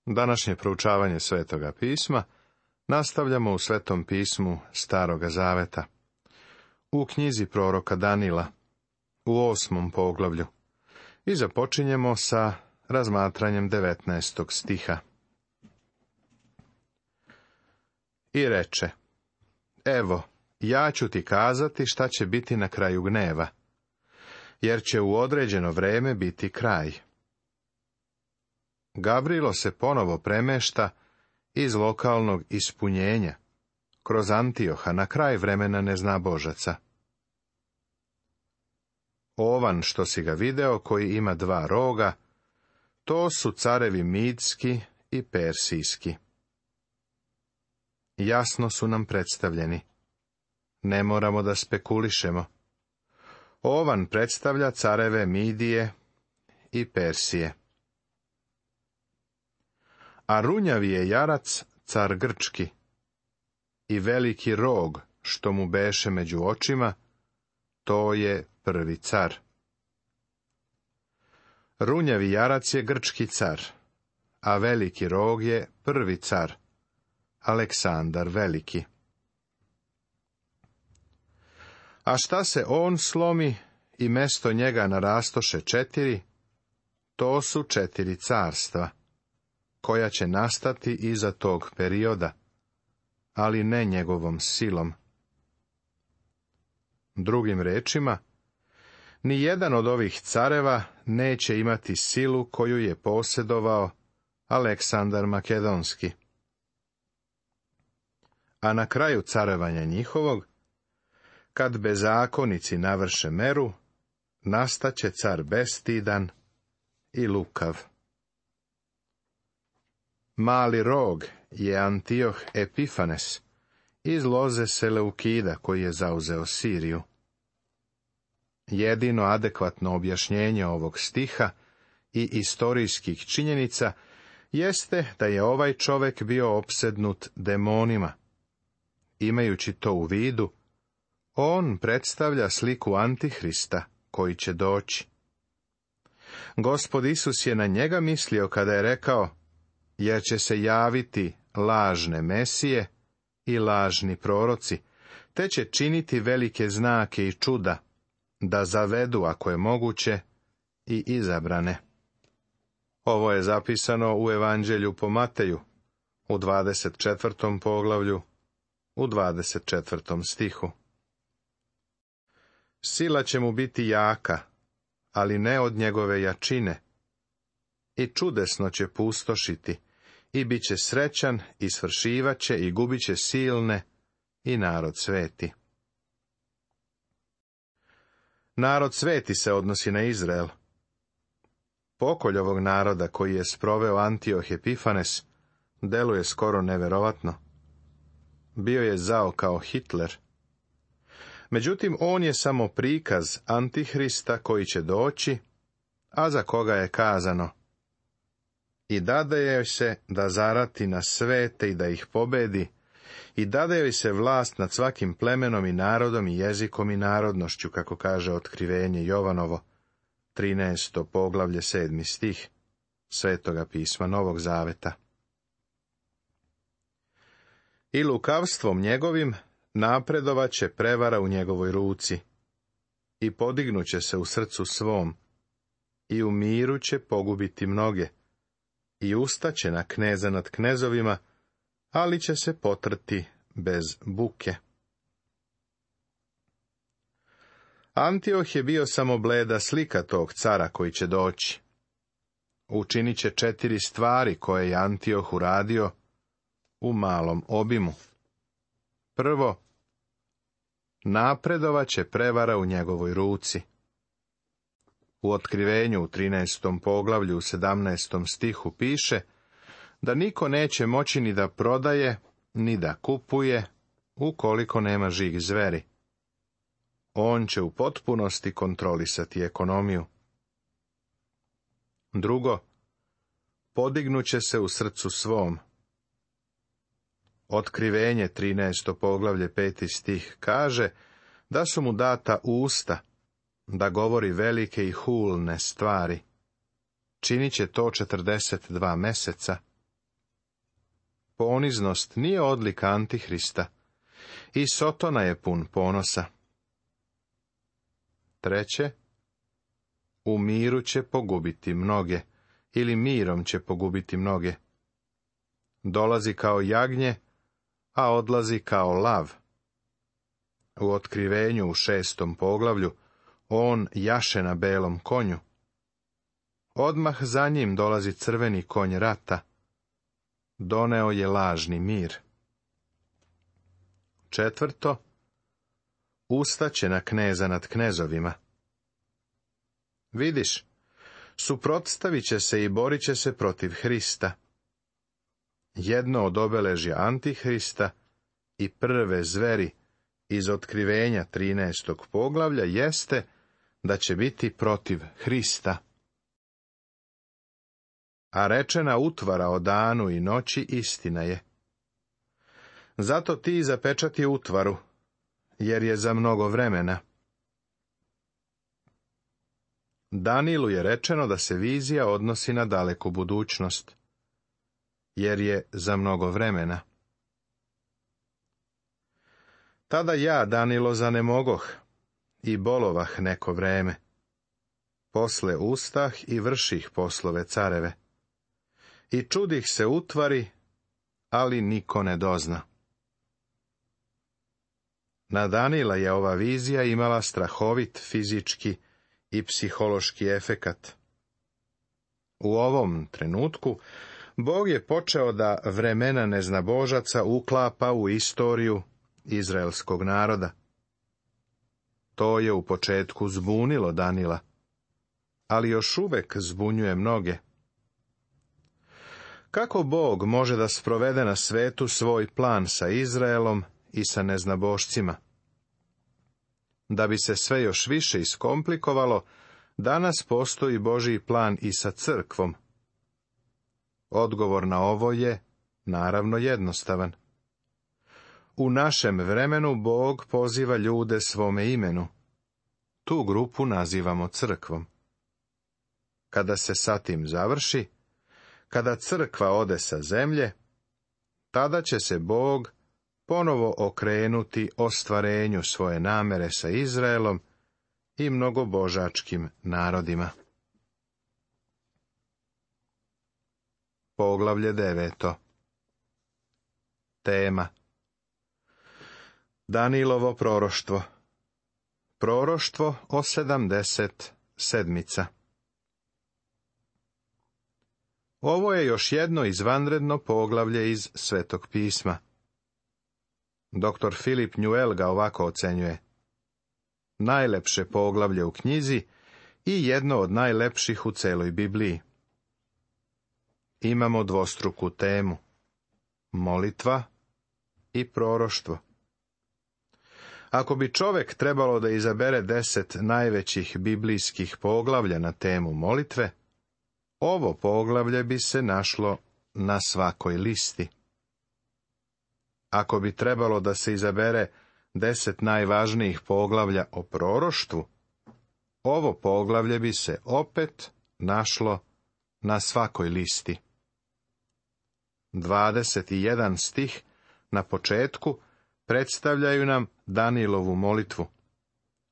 Današnje proučavanje Svetoga pisma nastavljamo u Svetom pismu Staroga zaveta, u knjizi proroka Danila, u 8. poglavlju, i započinjemo sa razmatranjem 19. stiha. I reče: Evo, ja ću ti kazati šta će biti na kraju gneva, jer će u određeno vreme biti kraj. Gavrilo se ponovo premešta iz lokalnog ispunjenja, kroz Antioha, na kraj vremena neznabožaca. Ovan, što si ga video, koji ima 2 roga, to su carevi Midski i Persijski. Jasno su nam predstavljeni. Ne moramo da spekulišemo. Ovan predstavlja careve Midije i Persije. A runjavi je jarac car Grčki i veliki rog, što mu beše među očima, to je prvi car. Runjavi jarac je grčki car, a veliki rog je prvi car, Aleksandar Veliki. A šta se on slomi i mesto njega narastoše 4, to su 4 carstva, koja će nastati iza tog perioda, ali ne njegovom silom. Drugim rečima, ni jedan od ovih careva neće imati silu koju je posjedovao Aleksandar Makedonski. A na kraju carevanja njihovog, kad bezakonici navrše meru, nastaće car bestidan i lukav. Mali rog je Antioh Epifanes iz loze Seleukida, koji je zauzeo Siriju. Jedino adekvatno objašnjenje ovog stiha i istorijskih činjenica jeste da je ovaj čovjek bio opsednut demonima. Imajući to u vidu, on predstavlja sliku Antihrista koji će doći. Gospod Isus je na njega mislio kada je rekao: jer će se javiti lažne mesije i lažni proroci, te će činiti velike znake i čuda, da zavedu, ako je moguće, i izabrane. Ovo je zapisano u Evanđelju po Mateju, u 24. poglavlju, u 24. stihu. Sila će mu biti jaka, ali ne od njegove jačine, i čudesno će pustošiti, i bit će srećan, i svršivaće, i gubit će silne, i narod sveti. Narod sveti se odnosi na Izrael. Pokolj ovog naroda koji je sproveo Antioh Epifanes deluje skoro neverovatno. Bio je zao kao Hitler. Međutim, on je samo prikaz Antihrista koji će doći, a za koga je kazano: i dade joj se da zarati na svete i da ih pobedi, i dade joj se vlast nad svakim plemenom i narodom i jezikom i narodnošću, kako kaže Otkrivenje Jovanovo, 13. poglavlje, 7. stih Svetoga pisma Novog zaveta. I lukavstvom njegovim napredovaće prevara u njegovoj ruci, i podignuće se u srcu svom, i u miru će pogubiti mnoge, i ustaće na kneza nad knezovima, ali će se potrti bez buke. Antioh je bio samo bleda slika tog cara koji će doći. Učinit će 4 stvari koje je Antioh uradio u malom obimu. Prvo, napredovaće prevara u njegovoj ruci. U Otkrivenju u 13. poglavlju u 17. stihu piše da niko neće moći ni da prodaje, ni da kupuje, ukoliko nema žig zveri. On će u potpunosti kontrolisati ekonomiju. Drugo, podignuće se u srcu svom. Otkrivenje 13. poglavlje 5. stih kaže da su mu data usta, da govori velike i hulne stvari. Činit će to 42 meseca, poniznost nije odlika Antihrista. I Sotona je pun ponosa. 3. U miru će pogubiti mnoge, ili mirom će pogubiti mnoge. Dolazi kao jagnje, a odlazi kao lav. U Otkrivenju u 6. poglavlju on jaše na belom konju. Odmah za njim dolazi crveni konj rata. Doneo je lažni mir. 4. Ustaće na kneza nad knezovima. Vidiš, suprotstavit će se i borit će se protiv Hrista. Jedno od obeležja Antihrista i prve zveri iz Otkrivenja 13. poglavlja jeste da će biti protiv Hrista. A rečena utvara o danu i noći istina je. Zato ti zapečati utvaru, jer je za mnogo vremena. Danilu je rečeno da se vizija odnosi na daleku budućnost, jer je za mnogo vremena. Tada ja, Danilo, zanemogoh i bolovah neko vreme. Posle ustah i vrših poslove careve. I čudih se utvari, ali niko ne dozna. Na Danila je ova vizija imala strahovit fizički i psihološki efekat. U ovom trenutku Bog je počeo da vremena neznabožaca uklapa u istoriju izraelskog naroda. To je u početku zbunilo Danila, ali još uvek zbunjuje mnoge. Kako Bog može da sprovede na svetu svoj plan sa Izraelom i sa neznabošcima? Da bi se sve još više iskomplikovalo, danas postoji Božji plan i sa crkvom. Odgovor na ovo je, naravno, jednostavan. U našem vremenu Bog poziva ljude svome imenu. Tu grupu nazivamo crkvom. Kada se sa tim završi, kada crkva ode sa zemlje, tada će se Bog ponovo okrenuti ostvarenju svoje namere sa Izraelom i mnogobožačkim narodima. Poglavlje 9. Tema: Danilovo proroštvo. Proroštvo o 70 sedmica. Ovo je još jedno izvanredno poglavlje iz Svetog pisma. Dr. Philip Newell ga ovako ocenjuje: najlepše poglavlje u knjizi i jedno od najlepših u celoj Bibliji. Imamo dvostruku temu: molitva i proroštvo. Ako bi čovek trebalo da izabere 10 najvećih biblijskih poglavlja na temu molitve, ovo poglavlje bi se našlo na svakoj listi. Ako bi trebalo da se izabere 10 najvažnijih poglavlja o proroštvu, ovo poglavlje bi se opet našlo na svakoj listi. 21 stih na početku predstavljaju nam Danilovu molitvu,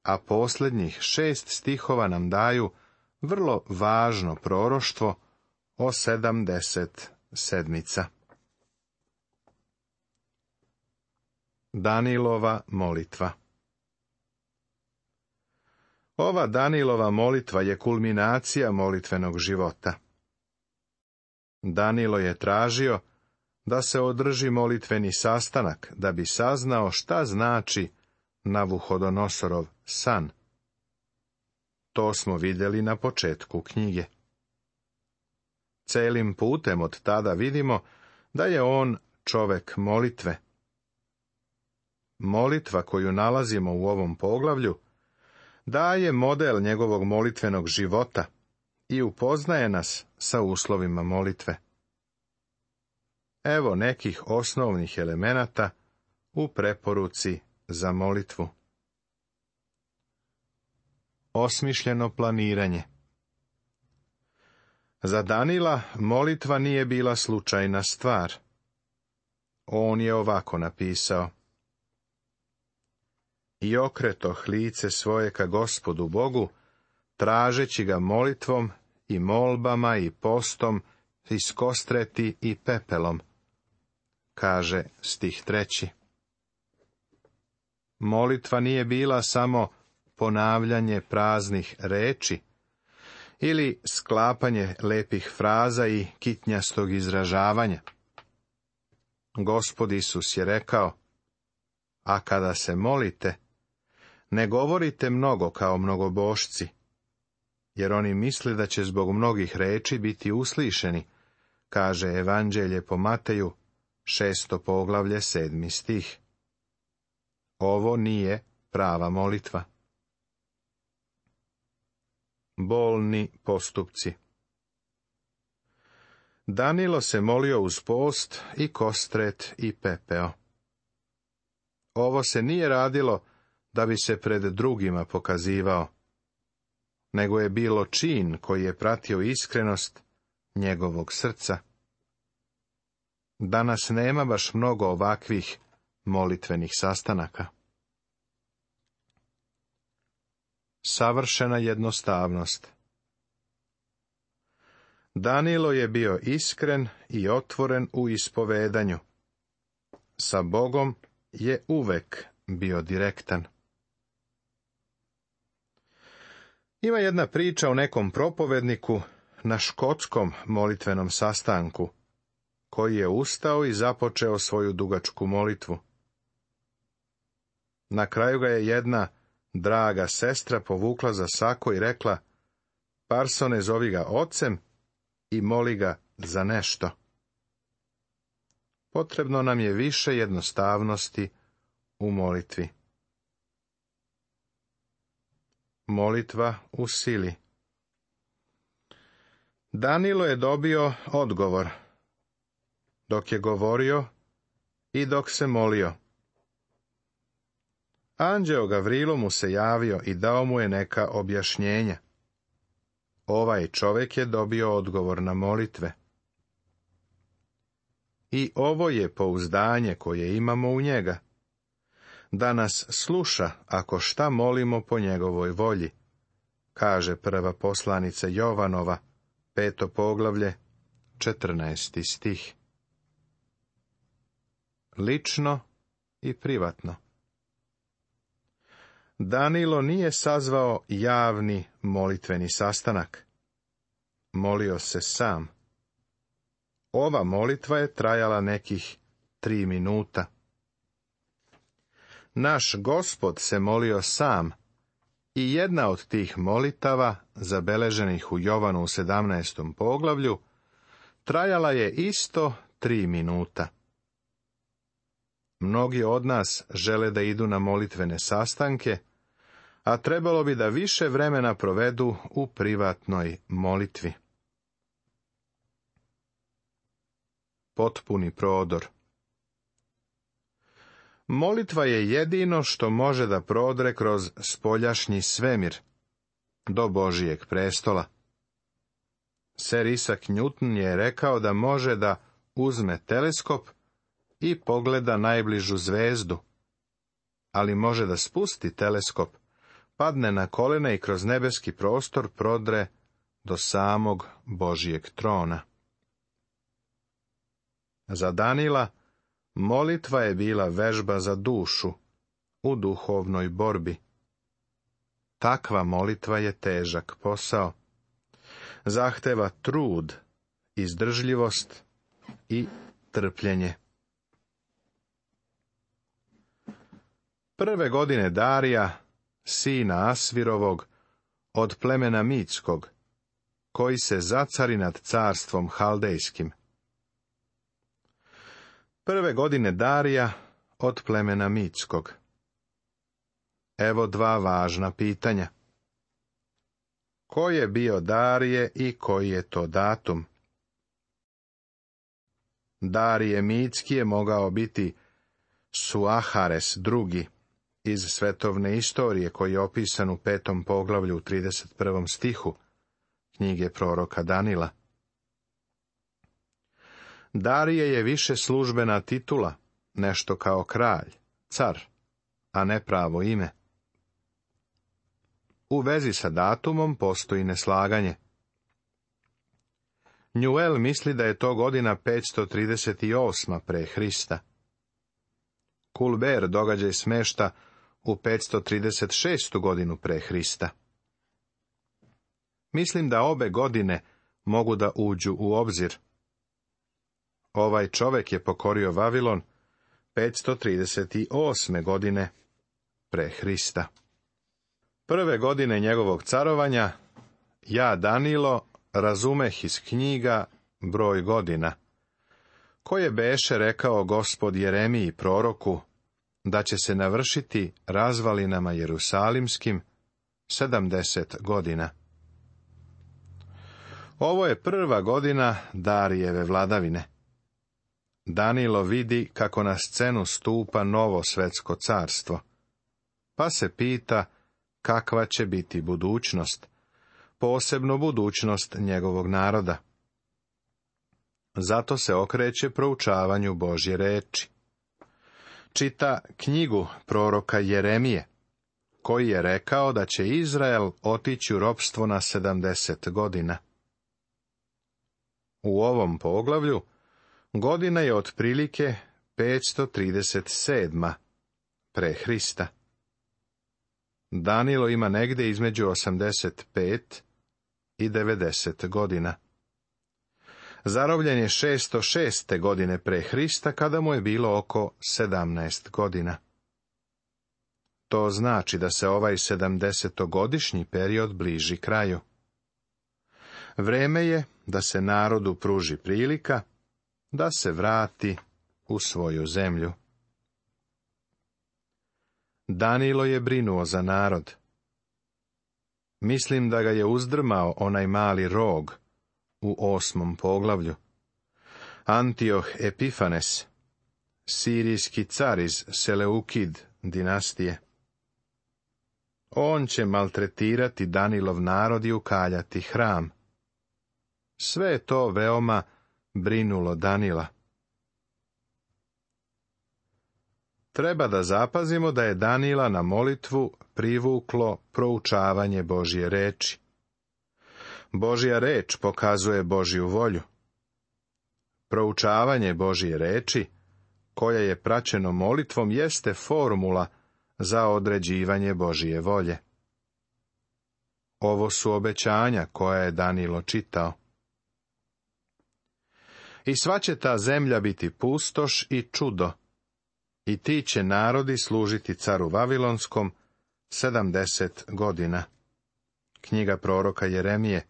a posljednjih 6 stihova nam daju vrlo važno proroštvo o 70 sedmica. Danilova molitva. Ova Danilova molitva je kulminacija molitvenog života. Danilo je tražio da se održi molitveni sastanak, da bi saznao šta znači Navuhodonosorov san. To smo vidjeli na početku knjige. Celim putem od tada vidimo da je on čovek molitve. Molitva koju nalazimo u ovom poglavlju daje model njegovog molitvenog života i upoznaje nas sa uslovima molitve. Evo nekih osnovnih elemenata u preporuci za molitvu. Osmišljeno planiranje. Za Danila molitva nije bila slučajna stvar. On je ovako napisao: I okretoh lice svoje ka Gospodu Bogu, tražeći ga molitvom i molbama i postom, iskostreti i pepelom. Kaže stih 3. Molitva nije bila samo ponavljanje praznih reči ili sklapanje lepih fraza i kitnjastog izražavanja. Gospod Isus je rekao: a kada se molite, ne govorite mnogo kao mnogobošci, jer oni misle da će zbog mnogih reči biti uslišeni, kaže Evanđelje po Mateju, 6. poglavlje, 7. stih. Ovo nije prava molitva. Bolni postupci. Danilo se molio uz post i kostret i pepeo. Ovo se nije radilo da bi se pred drugima pokazivao, nego je bilo čin koji je pratio iskrenost njegovog srca. Danas nema baš mnogo ovakvih molitvenih sastanaka. Savršena jednostavnost. Danilo je bio iskren i otvoren u ispovedanju. Sa Bogom je uvek bio direktan. Ima jedna priča o nekom propovedniku na škotskom molitvenom sastanku, koji je ustao i započeo svoju dugačku molitvu. Na kraju ga je jedna draga sestra povukla za sako i rekla: Parsone, zovi ga ocem i moli ga za nešto. Potrebno nam je više jednostavnosti u molitvi. Molitva u sili. Danilo je dobio odgovor dok je govorio i dok se molio. Anđeo Gavrilo mu se javio i dao mu je neka objašnjenja. Ovaj čovjek je dobio odgovor na molitve. I ovo je pouzdanje koje imamo u njega, da nas sluša ako šta molimo po njegovoj volji, kaže prva poslanica Jovanova, 5. poglavlje, 14. stih. Lično i privatno. Danilo nije sazvao javni molitveni sastanak. Molio se sam. Ova molitva je trajala nekih 3 minuta. Naš Gospod se molio sam i jedna od tih molitava, zabeleženih u Jovanu u 17. poglavlju, trajala je isto 3 minuta. Mnogi od nas žele da idu na molitvene sastanke, a trebalo bi da više vremena provedu u privatnoj molitvi. Potpuni prodor. Molitva je jedino što može da prodre kroz spoljašnji svemir do Božijeg prestola. Sir Isaac Newton je rekao da može da uzme teleskop i pogleda najbližu zvezdu, ali može da spusti teleskop, padne na kolena i kroz nebeski prostor prodre do samog Božijeg trona. Za Danila molitva je bila vežba za dušu u duhovnoj borbi. Takva molitva je težak posao. Zahteva trud, izdržljivost i trpljenje. Prve godine Darija, sina Asvirovog, od plemena Mitskog, koji se zacari nad carstvom Haldejskim. Prve godine Darija od plemena Mitskog. Evo 2 važna pitanja. Ko je bio Darije i koji je to datum? Darije Mitski je mogao biti Suahares II. Iz svetovne istorije koji je opisan u 5. poglavlju u 31. stihu knjige proroka Danila. Darije je više službena titula, nešto kao kralj, car, a ne pravo ime. U vezi sa datumom postoji neslaganje. Njuel misli da je to godina 538. pre Hrista. Kulber događaj smešta u 536. godinu pre Hrista. Mislim da obe godine mogu da uđu u obzir. Ovaj čovek je pokorio Vavilon 538. godine pre Hrista. Prve godine njegovog carovanja, ja, Danilo, razumeh iz knjiga broj godina, koje beše rekao Gospod Jeremiji proroku, da će se navršiti razvalinama Jerusalimskim 70 godina. Ovo je prva godina Darijeve vladavine. Danilo vidi kako na scenu stupa novo svetsko carstvo, pa se pita kakva će biti budućnost, posebno budućnost njegovog naroda. Zato se okreće proučavanju Božje reči. Čita knjigu proroka Jeremije, koji je rekao da će Izrael otići u ropstvo na 70 godina. U ovom poglavlju godina je otprilike 537. pre Hrista. Danilo ima negde između 85 i 90 godina. Zarobljen je 606. godine pre Hrista, kada mu je bilo oko 17 godina. To znači da se ovaj 70-godišnji period bliži kraju. Vreme je da se narodu pruži prilika da se vrati u svoju zemlju. Danilo je brinuo za narod. Mislim da ga je uzdrmao onaj mali rog u 8. poglavlju. Antioh Epifanes, sirijski car iz Seleukid dinastije. On će maltretirati Danilov narod i ukaljati hram. Sve je to veoma brinulo Danila. Treba da zapazimo da je Danila na molitvu privuklo proučavanje Božje reči. Božja reč pokazuje Božju volju. Proučavanje Božje reči, koja je praćeno molitvom, jeste formula za određivanje Božje volje. Ovo su obećanja koja je Danilo čitao. I sva će ta zemlja biti pustoš i čudo, i ti će narodi služiti caru Vavilonskom 70 godina. Knjiga proroka Jeremije,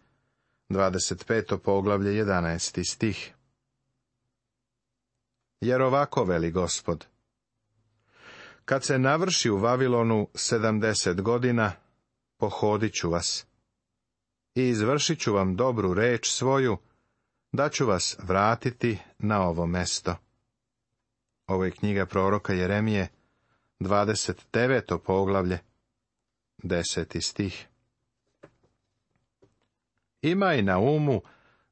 25. poglavlje, 11. stih. Jer ovako veli Gospod: kad se navrši u Vavilonu 70 godina, pohodit ću vas i izvršit ću vam dobru reč svoju, da ću vas vratiti na ovo mesto. Ovo je knjiga proroka Jeremije, 29. poglavlje, 10. stih. Imaj na umu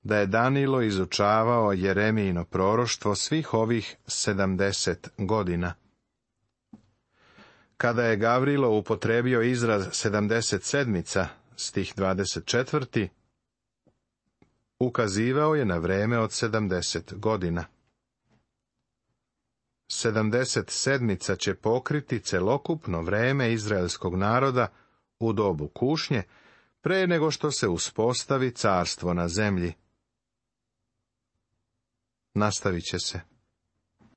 da je Danilo izučavao Jeremijino proroštvo svih ovih 70 godina. Kada je Gavrilo upotrebio izraz 77, stih 24, ukazivao je na vreme od 70 godina. 77 će pokriti celokupno vreme izraelskog naroda u dobu kušnje, pre nego što se uspostavi carstvo na zemlji. Nastavit će se.